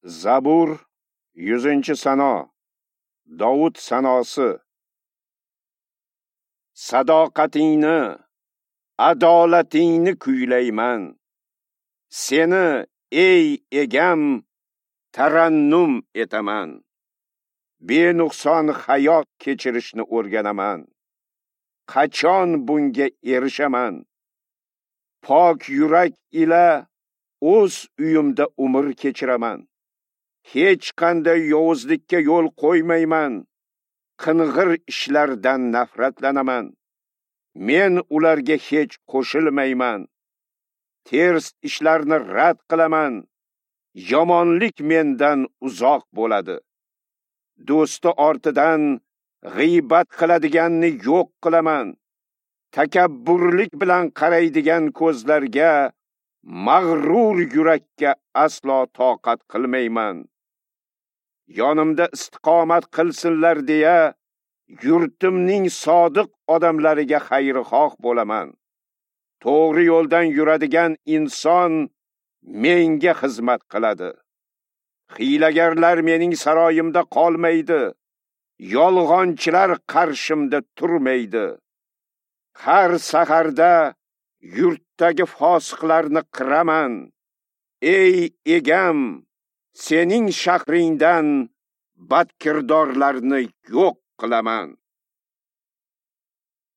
Zabur 100-sano. Dovud sanosi. Sadoqatingni, adolatingni kuylayman. Seni, ey egam, tarannum etaman. Benuqson hayot kechirishni o'rganaman. Qachon bunga erishaman? Pok yurak ila o'z uyimda umr kechiraman. Hech qanday yovuzlikka yo'l qo'ymayman. Qing'ir ishlardan nafratlanaman. Men ularga hech qo'shilmayman. Ters ishlarni rad qilaman. Yomonlik mendan uzoq bo'ladi. Do'sti ortidan g'iybat qiladiganni yo'q qilaman. Takabburlik bilan qaraydigan ko'zlarga, mag'rur yurakka aslo toqat qilmayman. Yonimda istiqomat qilsinlar deya yurtimning sodiq odamlariga xayrixoh bo'laman. To'g'ri yo'ldan yuradigan inson menga xizmat qiladi. Hiylagarlar mening saroyimda qolmaydi. Yolg'onchilar qarshimda turmaydi. Har saharda yurtdagi fosiqlarni qiraman. Ey egam, sening shahringdan badkirdorlarni yo'q qilaman.